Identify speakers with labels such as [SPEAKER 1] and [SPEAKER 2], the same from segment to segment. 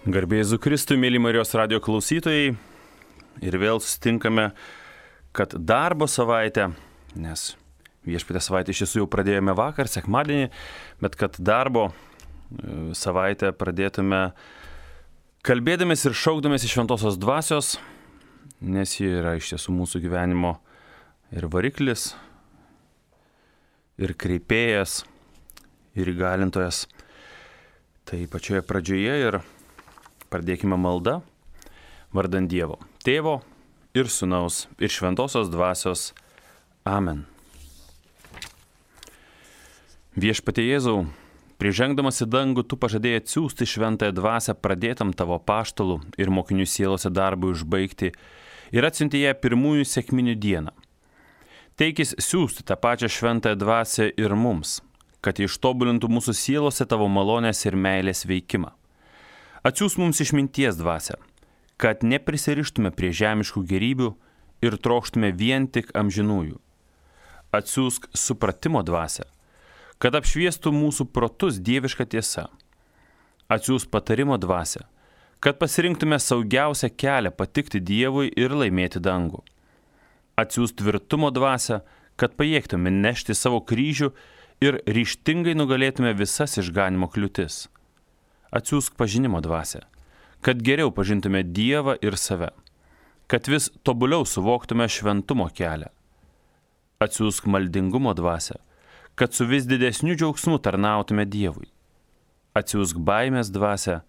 [SPEAKER 1] Garbė Jėzui Kristui, mėly Marijos radio klausytojai, ir vėl susitinkame, kad darbo savaitę, nes viešpatės savaitę iš tiesų jau pradėjome vakar, sekmadienį, bet kad darbo savaitę pradėtume kalbėdamės ir šaukdamės iš šventosios dvasios, nes ji yra iš tiesų mūsų gyvenimo ir variklis, ir kreipėjas, ir įgalintojas. Tai pačioje pradžioje ir pradėkime maldą vardant Dievo, Tėvo ir Sūnaus ir Šventosios Dvasios. Amen. Viešpatie Jėzau, prižengdamas į dangų, tu pažadėjai atsiųsti Šventąją Dvasią pradėtam tavo apaštalų ir mokinių sielose darbui užbaigti ir atsiuntė ją pirmųjų sekminių dieną. Teikis siųsti tą pačią Šventąją Dvasią ir mums, kad ištobulintų mūsų sielose tavo malonės ir meilės veikimą. Atsiųs mums išminties dvasią, kad neprisirištume prie žemiškų gerybių ir trokštume vien tik amžinųjų. Atsiųsk supratimo dvasią, kad apšviestų mūsų protus dieviška tiesa. Atsiųsk patarimo dvasią, kad pasirinktume saugiausią kelią patikti Dievui ir laimėti dangų. Atsiųsk tvirtumo dvasią, kad pajėgtume nešti savo kryžių ir ryžtingai nugalėtume visas išganimo kliūtis. Atsiųsk pažinimo dvasią, kad geriau pažintume Dievą ir save, kad vis tobuliau suvoktume šventumo kelią. Atsiųsk maldingumo dvasią, kad su vis didesniu džiaugsmu tarnautume Dievui. Atsiųsk baimės dvasią,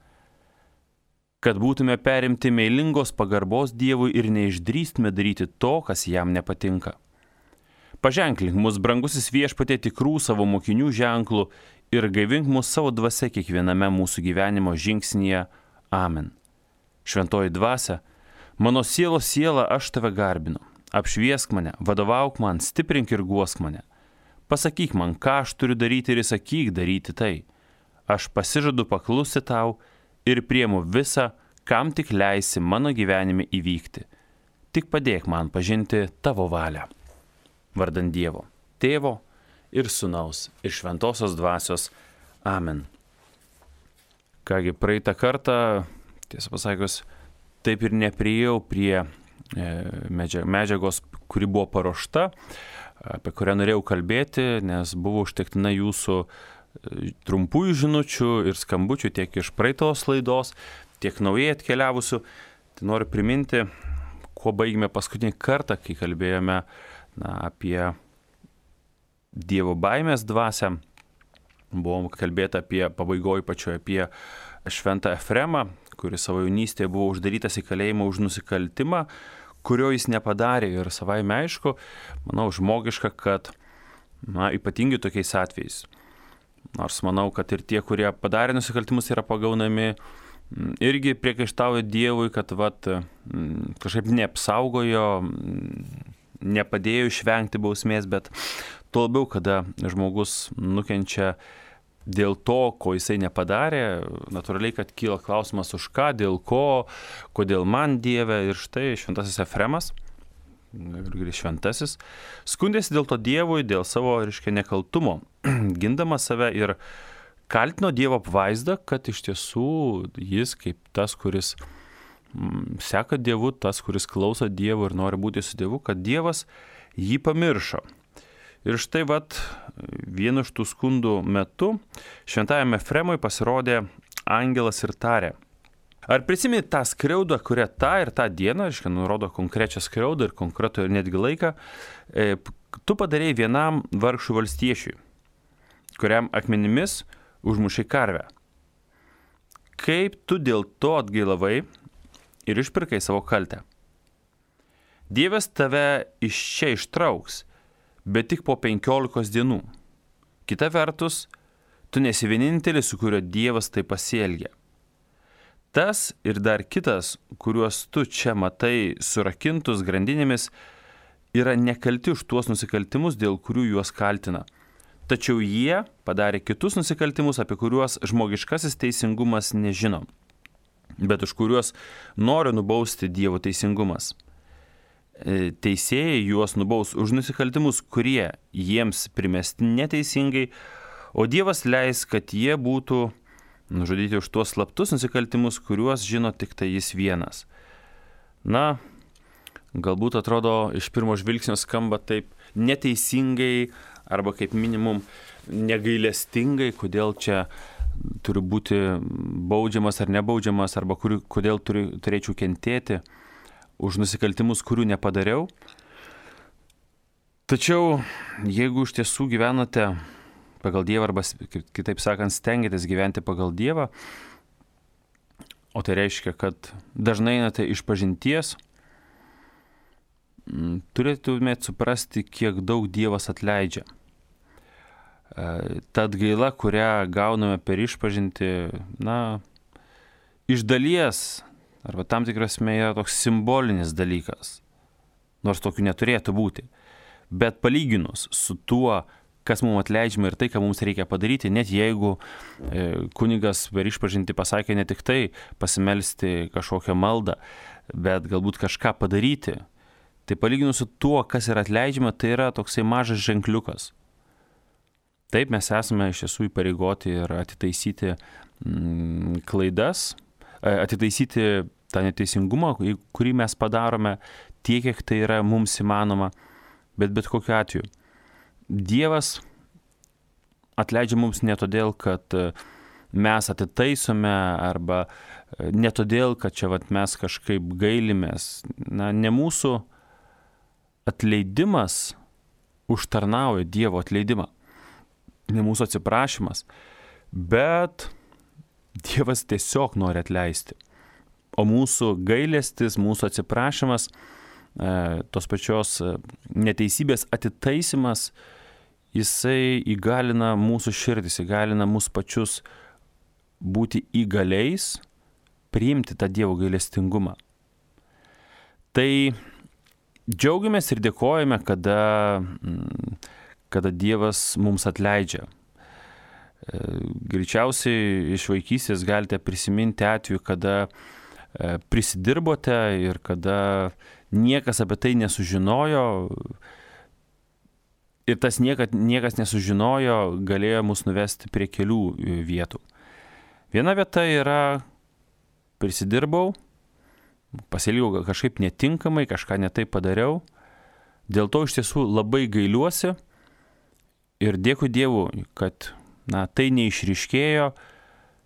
[SPEAKER 1] kad būtume perimti meilingos pagarbos Dievui ir neišdrįstume daryti to, kas jam nepatinka. Paženklink mus, brangusis Viešpatie, tikrų savo mokinių ženklų ir gaivink mus savo dvasia kiekviename mūsų gyvenimo žingsnyje. Amen. Šventoji dvasia, mano sielos siela, aš tave garbinu. Apšviesk mane, vadovauk man, stiprink ir guosk mane. Pasakyk man, ką aš turiu daryti ir įsakyk daryti tai. Aš pasižadu paklusti tau ir priimu visą, kam tik leisi mano gyvenime įvykti. Tik padėk man pažinti tavo valią. Vardant Dievo, Tėvo ir Sūnaus ir Šventosios Dvasios. Amen. Kągi, praeitą kartą, tiesą pasakius, taip ir nepriėjau prie medžiagos, kuri buvo paruošta, apie kurią norėjau kalbėti, nes buvo užtektina jūsų trumpųjų žinučių ir skambučių tiek iš praeitos laidos, tiek naujai atkeliavusių. Tai noriu priminti, kuo baigėme paskutinį kartą, kai kalbėjome apie Dievo baimės dvasią. Buvom kalbėta apie pabaigoj pačioje apie šventą Efremą, kuris savo jaunystėje buvo uždarytas į kalėjimą už nusikaltimą, kurio jis nepadarė. Ir savaime aišku, manau, žmogiška, kad ypatingai tokiais atvejais. Nors manau, kad ir tie, kurie padarė nusikaltimus, yra pagaunami, irgi priekaištauja Dievui, kad kažkaip neapsaugojo, nepadėjo išvengti bausmės, bet tuo labiau, kada žmogus nukenčia dėl to, ko jisai nepadarė, natūraliai, kad kyla klausimas už ką, dėl ko, kodėl man Dieve. Ir štai šventasis Efremas, šventasis, skundėsi dėl to Dievui, dėl savo, nekaltumo, gindamas save ir kaltino Dievo apvaizdą, kad iš tiesų jis kaip tas, kuris seka Dievu, tas, kuris klauso Dievo ir nori būti su Dievu, kad Dievas jį pamiršo. Ir štai vienu iš tų skundų metu šventajame Efremui pasirodė angelas ir tarė: ar prisimeni tą skriaudą, kurią tą ir tą dieną, nurodo konkrečią skriaudą ir konkretų ir netgi laiką, tu padarėjai vienam vargšų valstiečiui, kuriam akmenimis užmušai karvę. Kaip tu dėl to atgailavai ir išpirkai savo kaltę? Dievas tave iš čia ištrauks, bet tik po 15 dienų. Kita vertus, tu nesi vienintelis, su kuriuo Dievas taip pasielgia. Tas ir dar kitas, kuriuos tu čia matai surakintus grandinėmis, yra nekalti už tuos nusikaltimus, dėl kurių juos kaltina. Tačiau jie padarė kitus nusikaltimus, apie kuriuos žmogiškasis teisingumas nežino, bet už kuriuos nori nubausti Dievo teisingumas. Teisėjai juos nubaus už nusikaltimus, kurie jiems primesti neteisingai, o Dievas leis, kad jie būtų nužudyti už tuos slaptus nusikaltimus, kuriuos žino tik tai jis vienas. Na, galbūt atrodo iš pirmo žvilgsnio skamba taip neteisingai arba kaip minimum negailestingai, kodėl čia turi būti baudžiamas ar nebaudžiamas, arba kodėl turėčiau kentėti už nusikaltimus, kurių nepadariau. Tačiau, jeigu iš tiesų gyvenate pagal Dievą, arba kitaip sakant, stengiatės gyventi pagal Dievą, o tai reiškia, kad dažnai einate iš pažinties, turėtumėt suprasti, kiek daug Dievas atleidžia. Ta atgaila, kurią gauname per išpažintį, iš dalies, arba tam tikrasme yra toks simbolinis dalykas, nors tokių neturėtų būti. Bet palyginus su tuo, kas mums atleidžiama ir tai, ką mums reikia padaryti, net jeigu kunigas per išpažintį pasakė ne tik tai pasimelsti kažkokią maldą, bet galbūt kažką padaryti, tai palyginus su tuo, kas yra atleidžiama, tai yra toksai mažas ženkliukas. Taip, mes esame iš tiesų įpareigoti ir atitaisyti klaidas, atitaisyti tą neteisingumą, kurį mes padarome tiek, kiek tai yra mums įmanoma, bet kokiu atveju. Dievas atleidžia mums ne todėl, kad mes atitaisome, arba ne todėl, kad čia mes kažkaip gailimės. Ne mūsų atleidimas užtarnauja Dievo atleidimą. Ne mūsų atsiprašymas, bet Dievas tiesiog nori atleisti. O mūsų gailestis, mūsų atsiprašymas, tos pačios neteisybės atitaisimas, jisai įgalina mūsų širdis, įgalina mūsų pačius būti įgaliais, priimti tą Dievo gailestingumą. Tai džiaugiamės ir dėkojame, kada Dievas mums atleidžia. Greičiausiai iš vaikystės galite prisiminti atveju, kada prisidirbote ir kada niekas apie tai nesužinojo, ir tas niekas nesužinojo, galėjo mus nuvesti prie kelių vietų. Viena vieta yra prisidirbau, pasielgiau kažkaip netinkamai, kažką netaip padariau, dėl to iš tiesų labai gailiuosi ir dėkui Dievui, kad tai neišryškėjo,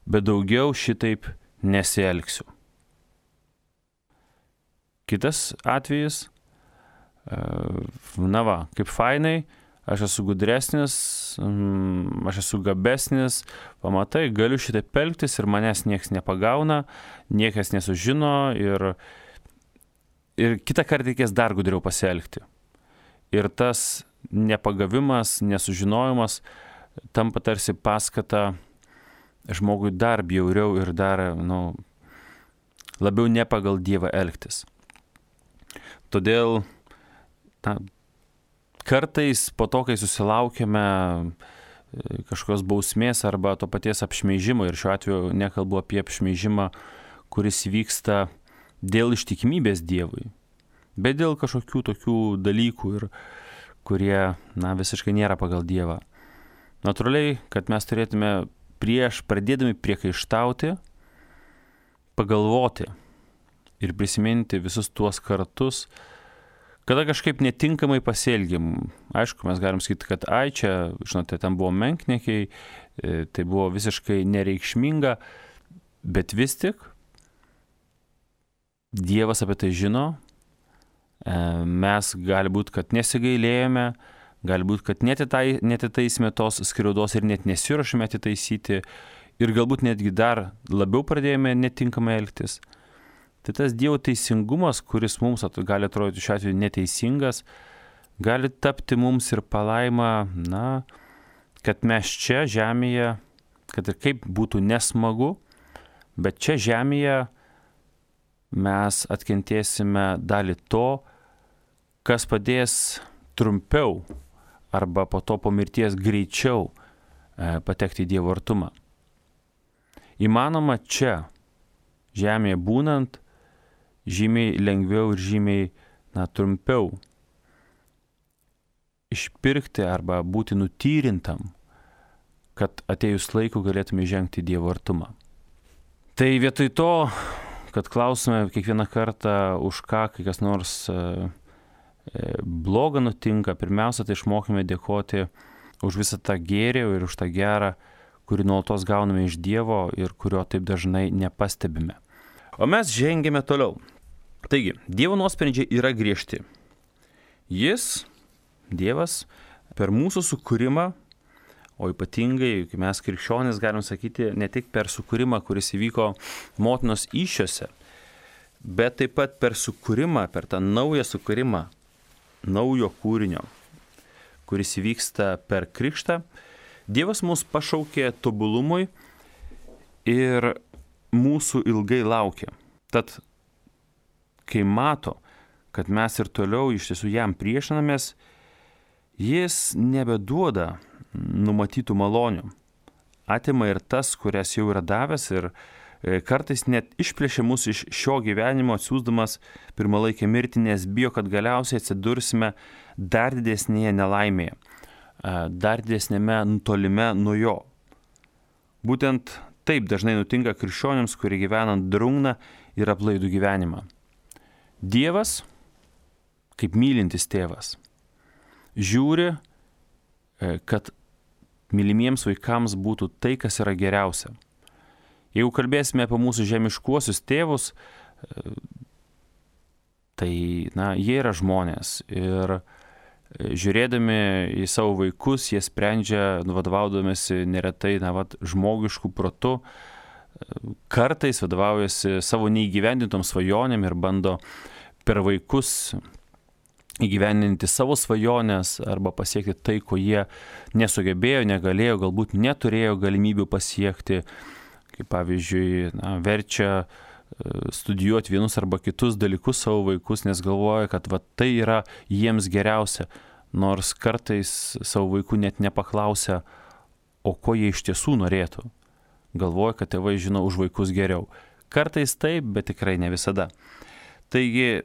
[SPEAKER 1] bet daugiau šitaip nesielgsiu. Kitas atvejis, kaip fainai, aš esu gudresnis, aš esu gabesnis, pamatai, galiu šitaip elgtis ir manęs niekas nepagauna, niekas nesužino ir kitą kartą reikės dar gudriau pasielgti. Ir tas nepagavimas, nesužinojimas tampa tarsi paskata žmogui dar bjauriau ir dar labiau ne pagal Dievą elgtis. Todėl kartais po to, kai susilaukiame kažkokios bausmės arba to paties apšmeižimo, ir šiuo atveju nekalbu apie apšmeižimą, kuris vyksta dėl ištikimybės Dievui, bet dėl kažkokių tokių dalykų, kurie visiškai nėra pagal Dievą. Natūraliai, kad mes turėtume prieš pradėdami priekaištauti, pagalvoti ir prisiminti visus tuos kartus, kada kažkaip netinkamai pasielgėm. Aišku, mes galim sakyti, kad čia, žinote, ten buvo menkniekiai, tai buvo visiškai nereikšminga, bet vis tik Dievas apie tai žino, mes gali būti, kad nesigailėjome, gali būti, kad netitaisime tos skriaudos ir net nesiruošime atitaisyti ir galbūt netgi dar labiau pradėjome netinkamai elgtis. Tai tas Dievo teisingumas, kuris mums gali atrodyti šiuo atveju neteisingas, gali tapti mums ir palaima, kad mes čia žemėje, kad ir kaip būtų nesmagu, bet čia žemėje mes atkentėsime dalį to, kas padės trumpiau arba po to po mirties greičiau patekti į Dievo artumą. Įmanoma čia, žemėje būnant, žymiai lengviau ir žymiai trumpiau išpirkti arba būti nutyrintam kad atėjus laiku galėtume žengti Dievo artumą. Tai vietoj to, kad klausume kiekvieną kartą, už ką kai kas nors bloga nutinka, pirmiausia, tai išmokime dėkoti už visą tą gėrį ir už tą gerą, kurį nuolatos gauname iš Dievo ir kurio taip dažnai nepastebime. O mes žengėme toliau. Taigi, Dievo nuosprendžiai yra griežti. Dievas, per mūsų sukūrimą, o ypatingai, kai mes krikščionys galim sakyti, ne tik per sukūrimą, kuris įvyko motinos įsčiose, bet taip pat per sukūrimą, per tą naują sukūrimą, naujo kūrinio, kuris įvyksta per krikštą, Dievas mus pašaukė tobulumui ir mūsų ilgai laukia. Tad, kai mato, kad mes ir toliau iš tiesų jam priešinamės, jis nebeduoda numatytų malonių. Atima ir tas, kurias jau yra davęs, ir kartais net išplėšia mus iš šio gyvenimo, atsiųsdamas pirmalaikę mirtį, nes bijo, kad galiausiai atsidursime dar didesnėje nelaimėje, dar didesnėme nutolime nuo jo. Būtent taip dažnai nutinka krikščionims, kurie gyvenant drungną ir aplaidų gyvenimą. Dievas, kaip mylintis tėvas, žiūri, kad mylimiems vaikams būtų tai, kas yra geriausia. Jeigu kalbėsime apie mūsų žemiškuosius tėvus, tai, jie yra žmonės ir žiūrėdami į savo vaikus, jie sprendžia, vadovaudamėsi neretai, žmogiškų protu, kartais vadovaujasi savo neįgyvendintom svajonėm ir bando per vaikus įgyvendinti savo svajonės arba pasiekti tai, ko jie nesugebėjo, negalėjo, galbūt neturėjo galimybių pasiekti, kaip pavyzdžiui, verčia studijuoti vienus arba kitus dalykus savo vaikus, nes galvoja, kad tai yra jiems geriausia, nors kartais savo vaikų net nepaklausia, o ko jie iš tiesų norėtų. Galvoja, kad tėvai žino už vaikus geriau. Kartais taip, bet tikrai ne visada. Taigi,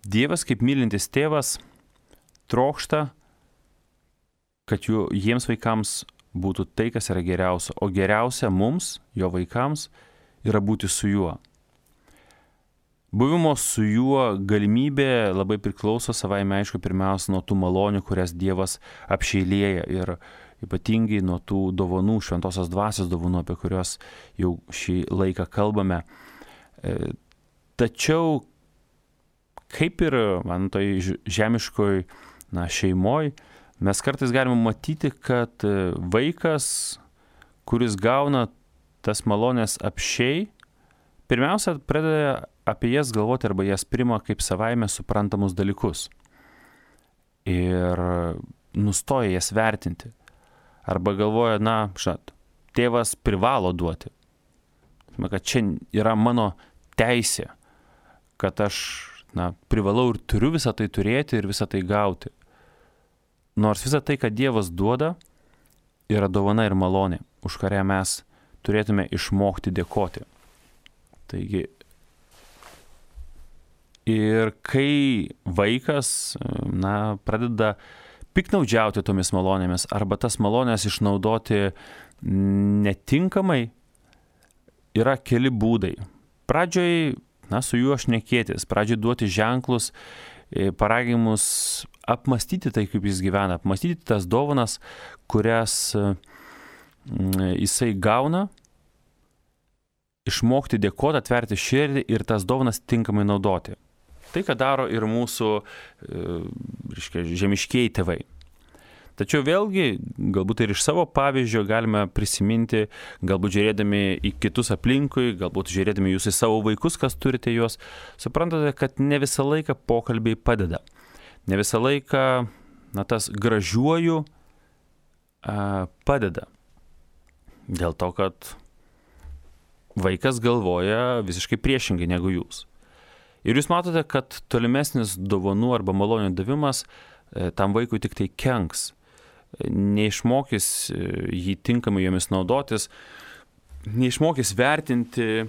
[SPEAKER 1] Dievas kaip mylintis tėvas trokšta, kad jiems vaikams būtų tai, kas yra geriausia, o geriausia mums, jo vaikams, yra būti su juo. Buvimo su juo galimybė labai priklauso savaime, aišku, pirmiausia nuo tų malonių, kurias Dievas apšeilėja ir ypatingai nuo tų dovanų, šventosios dvasios dovanų, apie kurios jau šį laiką kalbame. Tačiau, kaip ir toj žemiškoj šeimoj, mes kartais galime matyti, kad vaikas, kuris gauna tas malonės apsčiai, pirmiausia, pradeda apie jas galvoti arba jas priima kaip savaime suprantamus dalykus. Ir nustoja jas vertinti. Arba galvoja, tėvas privalo duoti. Kad čia yra mano teisė, kad aš privalau ir turiu visą tai turėti ir visą tai gauti. Nors visą tai, kad Dievas duoda, yra dovana ir malonė, už kurią mes turėtume išmokti dėkoti. Taigi, ir kai vaikas, pradeda piktnaudžiauti tomis malonėmis arba tas malonės išnaudoti netinkamai, yra keli būdai. Pradžioj, su juo šnekėtis, pradžioj duoti ženklus, paragimus apmastyti tai, kaip jis gyvena, apmastyti tas dovanas, kurias jisai gauna, išmokti dėkoti, atverti širdį ir tas dovanas tinkamai naudoti. Tai, ką daro ir mūsų žemiškieji tėvai. Tačiau vėlgi, galbūt ir iš savo pavyzdžio galime prisiminti, galbūt žiūrėdami į kitus aplinkui, galbūt žiūrėdami jūs į savo vaikus, kas turite juos, suprantate, kad ne visą laiką pokalbiai padeda. Ne visą laiką, tas gražiuoju padeda. Dėl to, kad vaikas galvoja visiškai priešingai negu jūs. Ir jūs matote, kad tolimesnis dovanų arba malonių davimas tam vaikui tik tai kenks. Neišmokys jį tinkamai jomis naudotis, neišmokys vertinti,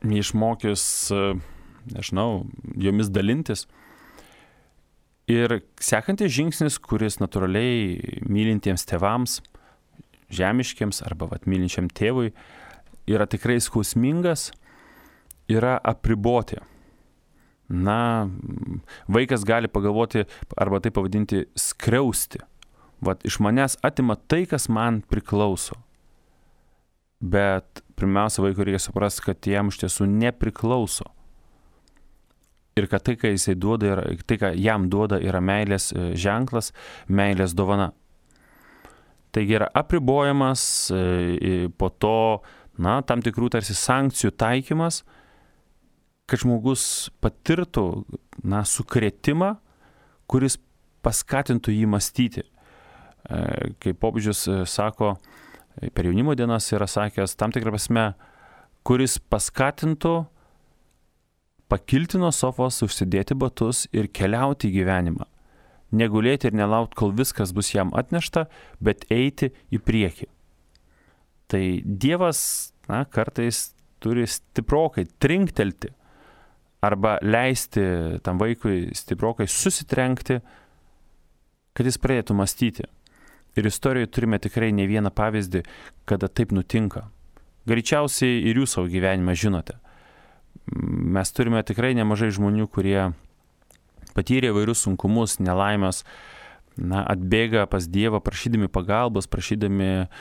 [SPEAKER 1] neišmokys, jomis dalintis. Ir sekantis žingsnis, kuris natūraliai mylintiems tėvams, žemiškiams arba mylinčiam tėvui, yra tikrai skausmingas, yra apriboti. Vaikas gali pagalvoti arba tai pavadinti skriausti. Iš manęs atima tai, kas man priklauso. Bet pirmiausia, vaikui reikia suprasti, kad jam iš tiesų nepriklauso. Ir kad tai, ką jisai duoda, tai, ką jam duoda, yra meilės ženklas, meilės dovana. Taigi yra apribojamas, po to, tam tikrų tarsi sankcijų taikymas, kad žmogus patirtų, sukrėtimą, kuris paskatintų jį mąstyti. Kaip popiežius sako, per jaunimo dienas yra sakęs, tam tikrą prasme, kuris paskatintų pakilti nuo sofos, užsidėti batus ir keliauti į gyvenimą. Negulėti ir nelaukti, kol viskas bus jam atnešta, bet eiti į priekį. Tai Dievas, kartais turi stiprokai trinktelti arba leisti tam vaikui stiprokai susitrenkti, kad jis pradėtų mąstyti. Ir istorijoje turime tikrai ne vieną pavyzdį, kada taip nutinka. Greičiausiai ir jūs savo gyvenimą žinote. Mes turime tikrai nemažai žmonių, kurie patyrė įvairius sunkumus, nelaimės, atbėga pas Dievą prašydami pagalbos, prašydami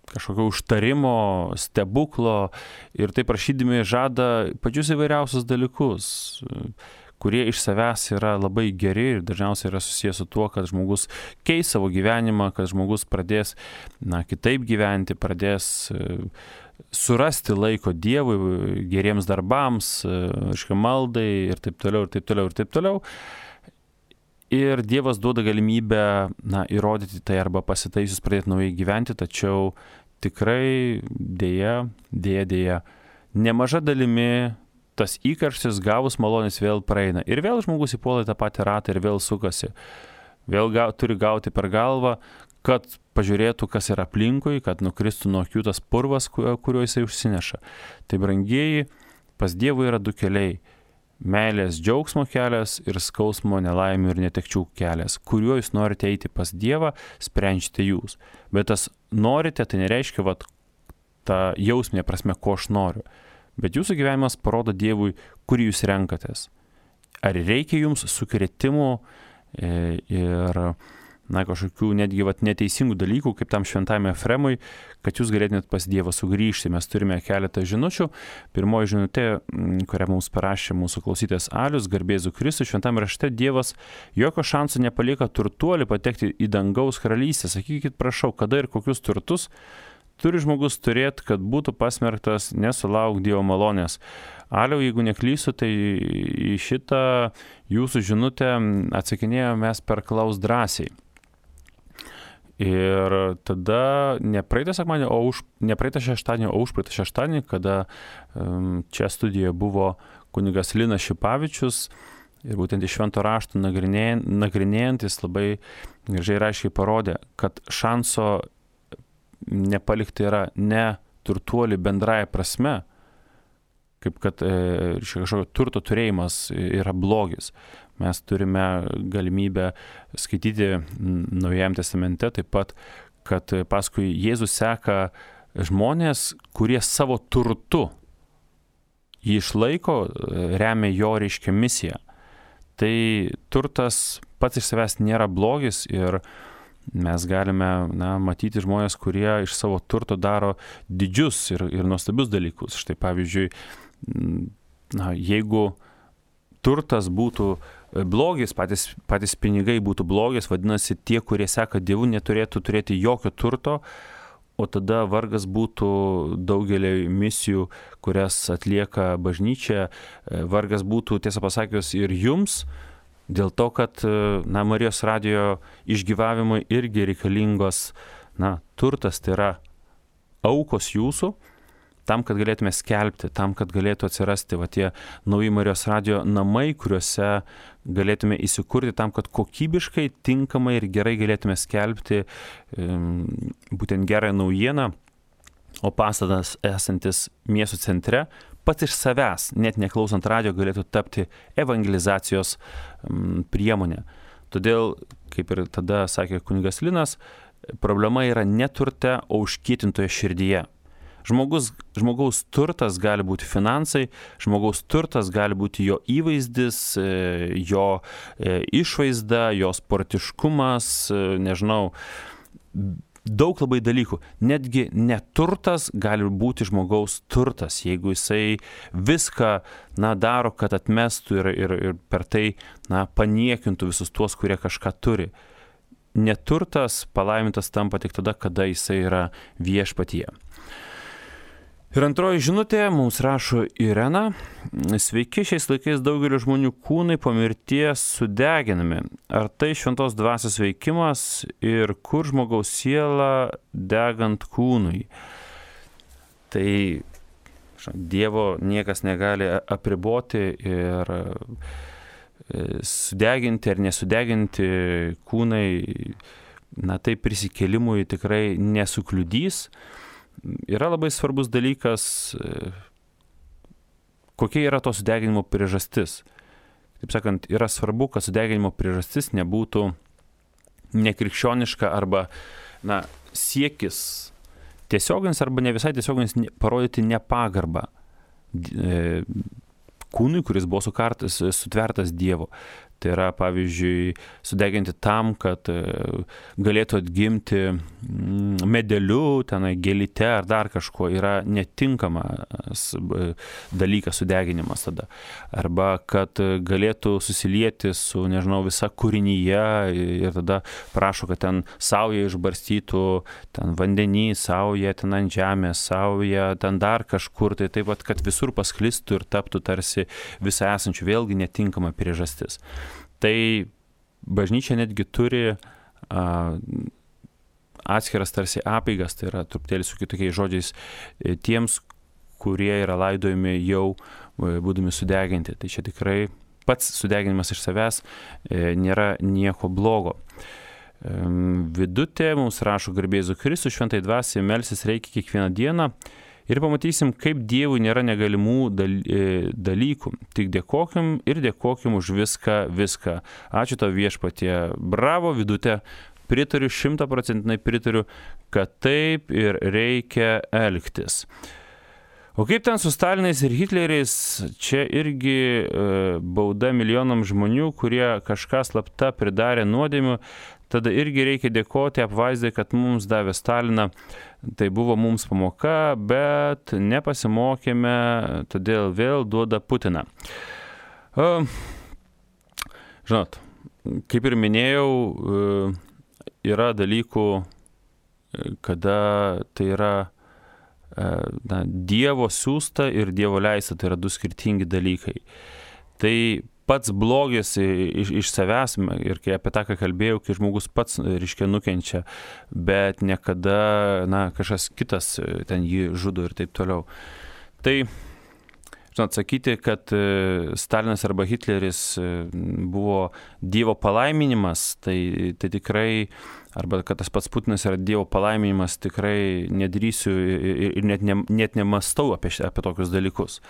[SPEAKER 1] kažkokio užtarimo, stebuklo ir tai prašydami žada pačius įvairiausius dalykus, kurie iš savęs yra labai geri ir dažniausiai yra susijęs su tuo, kad žmogus keis savo gyvenimą, kad žmogus pradės kitaip gyventi, pradės surasti laiko Dievui, geriems darbams, maldai ir taip toliau, ir taip toliau, ir taip toliau. Ir Dievas duoda galimybę įrodyti tai arba pasitaisius pradėti naujai gyventi, tačiau tikrai dėja, nemaža dalimi tas įkarštis gavus malonės vėl praeina. Ir vėl žmogus įpuola į tą patį ratą ir vėl sukasi. Vėl turi gauti per galvą, kad pažiūrėtų, kas yra aplinkui, kad nukristų nuo akių tas purvas, kuriuo jisai užsineša. Tai brangieji, pas Dievą yra du keliai. Meilės džiaugsmo kelias ir skausmo, nelaimių ir netekčių kelias. Kuriuo jūs norite eiti pas Dievą, sprendžiate jūs. Bet tas norite, tai nereiškia, tą jausminę prasme, ko aš noriu. Bet jūsų gyvenimas parodo Dievui, kur jūs renkatės. Ar reikia jums sukrėtimų ir kažkokių netgi neteisingų dalykų, kaip tam šventajame Efremui, kad jūs galėtumėt pas Dievą sugrįžti. Mes turime keletą žinučių. Pirmoji žinutė, kurią mums parašė mūsų klausytojas Alius, garbė Jėzui Kristui, šventame rašte Dievas jokio šansų nepalieka turtuolį patekti į dangaus karalystę. Sakykit, prašau, kada ir kokius turtus turi žmogus turėti, kad būtų pasmerktas nesulaukti Dievo malonės. Aliau, jeigu neklysiu, tai į šitą jūsų žinutę atsakinėjome mes per Klaus drąsiai. Ir tada ne praeitą šeštadienį, o užpraeitą šeštadienį, kada čia studijoje buvo kunigas Linas Šipavičius ir būtent iš švento rašto nagrinėjant, jis labai gražiai ir aiškiai parodė, kad šanso nepalikti yra ne turtuolį bendrąja prasme, kaip kad kažkokio turto turėjimas yra blogis. Mes turime galimybę skaityti Naujajame testamente taip pat, kad paskui Jėzus seka žmonės, kurie savo turtu jį išlaiko, remia jo misiją. Tai turtas pats iš savęs nėra blogis ir mes galime matyti žmonės, kurie iš savo turto daro didžius ir nuostabius dalykus. Štai pavyzdžiui, jeigu turtas būtų blogis, patys pinigai būtų blogis, vadinasi, tie, kurie seka Dievu, neturėtų turėti jokio turto, o tada vargas būtų daugelį misijų, kurias atlieka bažnyčia, vargas būtų, tiesą pasakius, ir jums, dėl to, kad Marijos radijo išgyvavimui irgi reikalingos turtas, tai yra aukos jūsų, tam, kad galėtume skelbti, tam, kad galėtų atsirasti tie nauji Marijos radijo namai, kuriuose galėtume įsikurti, tam, kad kokybiškai, tinkamai ir gerai galėtume skelbti būtent gerąją naujieną, o pastatas esantis miesto centre pats iš savęs, net neklausant radio, galėtų tapti evangelizacijos priemonė. Todėl, kaip ir tada sakė kunigas Linas, problema yra ne turte, o užkietintoje širdyje. Žmogaus turtas gali būti finansai, žmogaus turtas gali būti jo įvaizdis, jo išvaizda, jo sportiškumas, nežinau, daug labai dalykų. Netgi neturtas gali būti žmogaus turtas, jeigu jisai viską daro, kad atmestų ir per tai paniekintų visus tuos, kurie kažką turi. Neturtas palaimintas tampa tik tada, kada jisai yra viešpatyje. Ir antroji žinutė mums rašo Irena. Sveiki, šiais laikais daugelio žmonių kūnai po mirties sudeginami. Ar tai šventos dvasios veikimas ir kur žmogaus siela degant kūnui? Tai Dievo niekas negali apriboti ir sudeginti ar nesudeginti kūnai, tai prisikėlimui tikrai nesukliudys. Yra labai svarbus dalykas, kokia yra to sudeginimo priežastis. Taip sakant, yra svarbu, kad sudeginimo priežastis nebūtų nekrikščioniška arba siekis tiesioginis arba ne visai tiesioginis parodyti nepagarbą kūnui, kuris buvo sutvertas Dievo. Tai yra, pavyzdžiui, sudeginti tam, kad galėtų atgimti medeliu, gėlyte ar dar kažko, yra netinkamas dalykas sudeginimas tada. Arba kad galėtų susilieti su, visa kūrinyje ir tada prašo, kad ten sauja išbarstytų, ten vandenį, sauja ten ant žemės, sauja ten dar kažkur, tai taip pat, kad visur pasklistų ir taptų tarsi visą esančių, vėlgi netinkama priežastis. Tai bažnyčia netgi turi atskiras tarsi apeigas, tai yra truputėlį su kitokiais žodžiais, tiems, kurie yra laidojami jau būdami sudeginti. Tai čia tikrai pats sudeginimas iš savęs nėra nieko blogo. Vidutė mums rašo garbė Jėzui Kristui, šventai dvasiai melsis reikia kiekvieną dieną. Ir pamatysim, kaip Dievui nėra negalimų dalykų. Tik dėkokim ir dėkokim už viską. Ačiū tau viešpatie. Bravo, Vidutė. Pritariu, 100% pritariu, kad taip ir reikia elgtis. O kaip ten su Stalinais ir Hitleriais, čia irgi bauda milijonam žmonių, kurie kažką slapta pridarė nuodėmių. Tada irgi reikia dėkoti apvaizdai, kad mums davė Staliną. Tai buvo mums pamoka, bet nepasimokėme, todėl vėl duoda Putiną. Žinot, kaip ir minėjau, yra dalykų, kada tai yra Dievo siųsta ir Dievo leista, tai yra du skirtingi dalykai. Tai pats blogis iš savęs, ir kai apie tą, ką kalbėjau, kai žmogus pats, nukenčia, bet niekada, kažkas kitas ten jį žudo ir taip toliau. Tai, žinot, sakyti, kad Stalinas arba Hitleris buvo Dievo palaiminimas, tai tikrai, arba kad tas pats Putinas yra Dievo palaiminimas, tikrai nedrįsiu ir net nemastau apie tokius dalykus.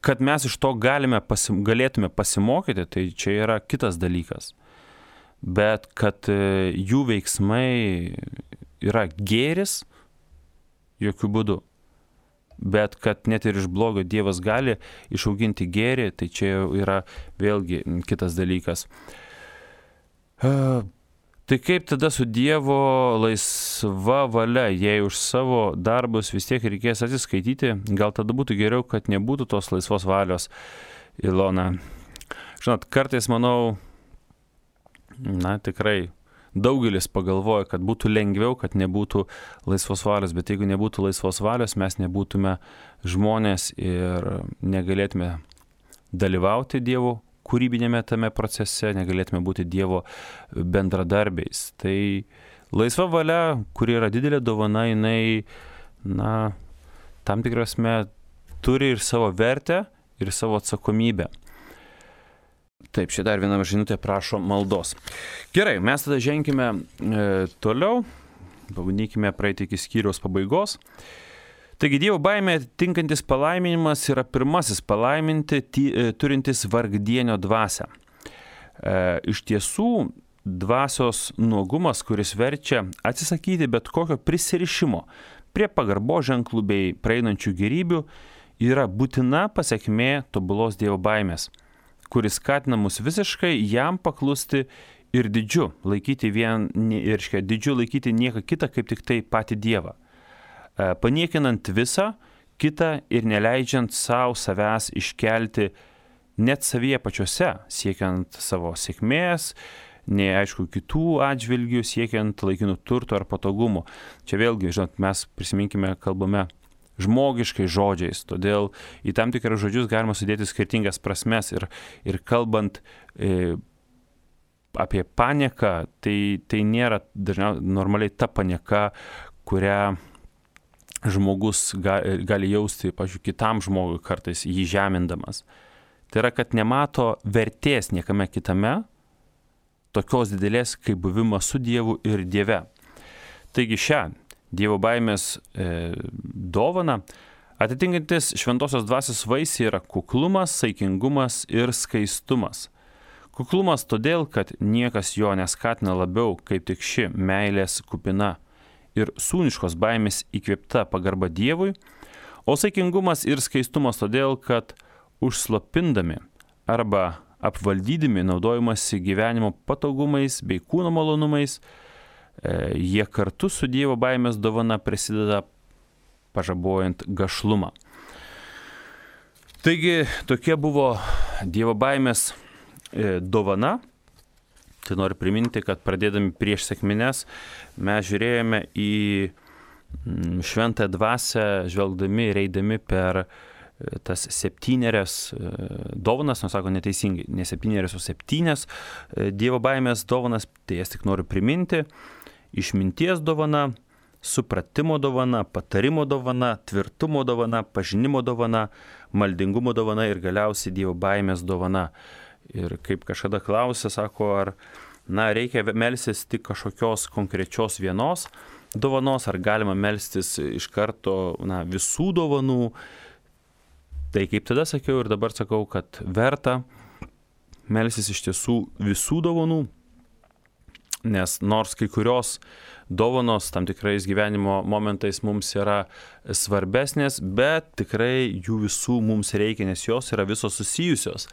[SPEAKER 1] Kad mes iš to galėtume pasimokyti, tai čia yra kitas dalykas. Bet kad jų veiksmai yra gėris, jokių būdų. Bet kad net ir iš blogio Dievas gali išauginti gėrį, tai čia yra vėlgi kitas dalykas. Tai kaip tada su Dievo laisva valia, jei už savo darbus vis tiek reikės atsiskaityti, gal tada būtų geriau, kad nebūtų tos laisvos valios, Ilona. Žinot, kartais manau, tikrai daugelis pagalvoja, kad būtų lengviau, kad nebūtų laisvos valios, bet jeigu nebūtų laisvos valios, mes nebūtume žmonės ir negalėtume dalyvauti Dievo kūrybinėme tame procese, negalėtume būti Dievo bendradarbiais. Tai laisva valia, kuri yra didelė dovana, jinai, tam tikrasme turi ir savo vertę, ir savo atsakomybę. Taip, čia dar viena žinutė prašo maldos. Gerai, mes tada ženkime toliau. pabandykime praeiti iki skyriaus pabaigos. Taigi Dievo baimė tinkantis palaiminimas yra pirmasis palaiminti turintis vargdienio dvasią. Iš tiesų, dvasios nuogumas, kuris verčia atsisakyti bet kokio prisirišimo prie pagarbo ženklų bei praeinančių gerybių, yra būtina pasekmė tobulos Dievo baimės, kuris skatina mus visiškai jam paklusti ir didžiu laikyti nieką kitą kaip tik tai patį Dievą, paniekinant visą kitą ir neleidžiant savęs iškelti net savyje pačiose, siekiant savo sėkmės, nei aišku kitų atžvilgių, siekiant laikinų turto ar patogumų. Čia vėlgi, žinot, mes prisiminkime, kalbame žmogiškai žodžiais, todėl į tam tikrus žodžius galima sudėti skirtingas prasmes ir kalbant apie panieką, tai nėra dažniausiai normaliai ta panieka, kurią žmogus gali jausti, pavyzdžiui, kitam žmogui kartais jį žemindamas. Tai yra, kad nemato vertės niekame kitame, tokios didelės kaip buvimas su Dievu ir Dieve. Taigi šią Dievo baimės dovaną atitinkantis šventosios dvasios vaisiai yra kuklumas, saikingumas ir skaistumas. Kuklumas todėl, kad niekas jo neskatina labiau kaip tik ši meilės kupina ir sūniškos baimės įkvėpta pagarba Dievui, o saikingumas ir skaistumas todėl, kad užslopindami arba apvaldydami naudojimasi gyvenimo patogumais bei kūno malonumais, jie kartu su Dievo baimės dovana prisideda pažabojant gašlumą. Taigi tokia buvo Dievo baimės dovana. Tai noriu priminti, kad pradėdami prieš sekmines mes žiūrėjome į šventąją dvasią, žvelgdami ir eidami per tas 7 dovanas, nors sako neteisingai, ne 7, o 7 Dievo baimės dovanas, tai jas tik noriu priminti: išminties dovana, supratimo dovana, patarimo dovana, tvirtumo dovana, pažinimo dovana, maldingumo dovana ir galiausiai Dievo baimės dovana. Ir kaip kažkada klausė, sako, ar reikia melstis tik kažkokios konkrečios vienos dovanos, ar galima melstis iš karto visų dovanų. Tai kaip tada sakiau ir dabar sakau, kad verta melstis iš tiesų visų dovanų, nes nors kai kurios dovanos tam tikrais gyvenimo momentais mums yra svarbesnės, bet tikrai jų visų mums reikia, nes jos yra visos susijusios.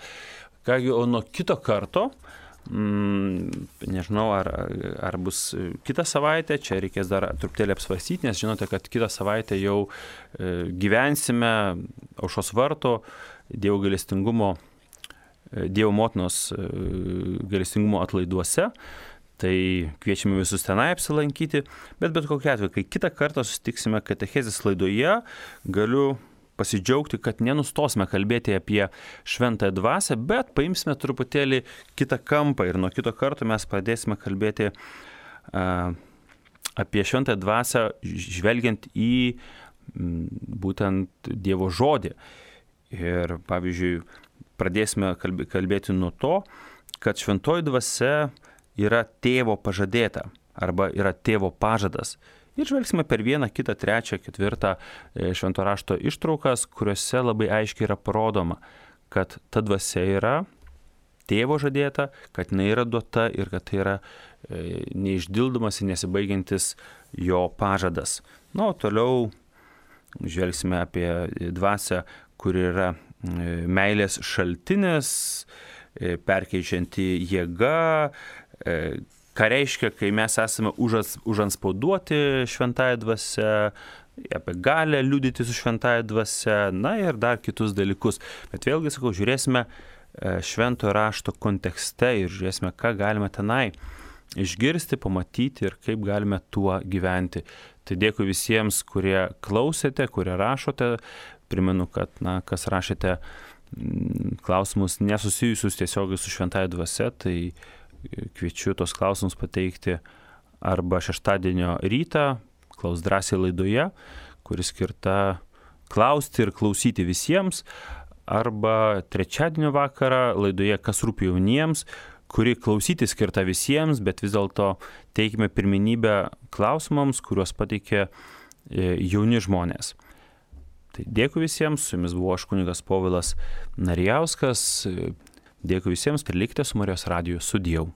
[SPEAKER 1] Kągi, o nuo kito karto, nežinau, ar bus kitą savaitę, čia reikės dar truputėlį apsvarstyti, nes žinote, kad kitą savaitę jau gyvensime Aušros varto Dievo gailestingumo, Dievo motinos gailestingumo atlaiduose. Tai kviečiame visus tenai apsilankyti, bet kokiu atveju, kai kitą kartą susitiksime katechezės laidoje, galiu pasidžiaugti, kad nenustosime kalbėti apie šventąją dvasią, bet paimsime truputėlį kitą kampą ir nuo kito karto mes pradėsime kalbėti apie šventąją dvasią, žvelgiant į būtent Dievo žodį. Ir pavyzdžiui, pradėsime kalbėti nuo to, kad šventoji dvasia yra tėvo pažadėta arba yra tėvo pažadas. Ir žvelgsime per 1, 2, 3, 4 švento rašto ištraukas, kuriuose labai aiškiai yra parodoma, kad ta dvasia yra tėvo žadėta, kad jinai yra duota ir kad tai yra neišdildomas ir nesibaigiantis jo pažadas. O toliau žvelgsime apie dvasią, kur yra meilės šaltinis, perkeičianti jėga, ką reiškia, kai mes esame užantspauduoti šventąją dvasią, apie galę liudyti su šventąja dvasia, ir dar kitus dalykus. Bet vėlgi, sakau, žiūrėsime šventojo rašto kontekste ir žiūrėsime, ką galime tenai išgirsti, pamatyti ir kaip galime tuo gyventi. Tai dėkui visiems, kurie klausėte, kurie rašote. Primenu, kad, kas rašėte klausimus nesusijusius tiesiogiai su šventąja dvasia, tai kviečiu tos klausimus pateikti arba šeštadienio rytą, Klaus drąsiai laidoje, kuri skirta klausti ir klausyti visiems, arba trečiadienio vakarą laidoje Kas rūpi jauniems, kuri klausyti skirta visiems, bet vis dėlto teikime pirmenybę klausimams, kuriuos pateikė jauni žmonės. Tai dėkui visiems, su jumis buvo aš kunigas Povilas Narijauskas, dėkui visiems, kad likite su Marijos radiju, sudieu.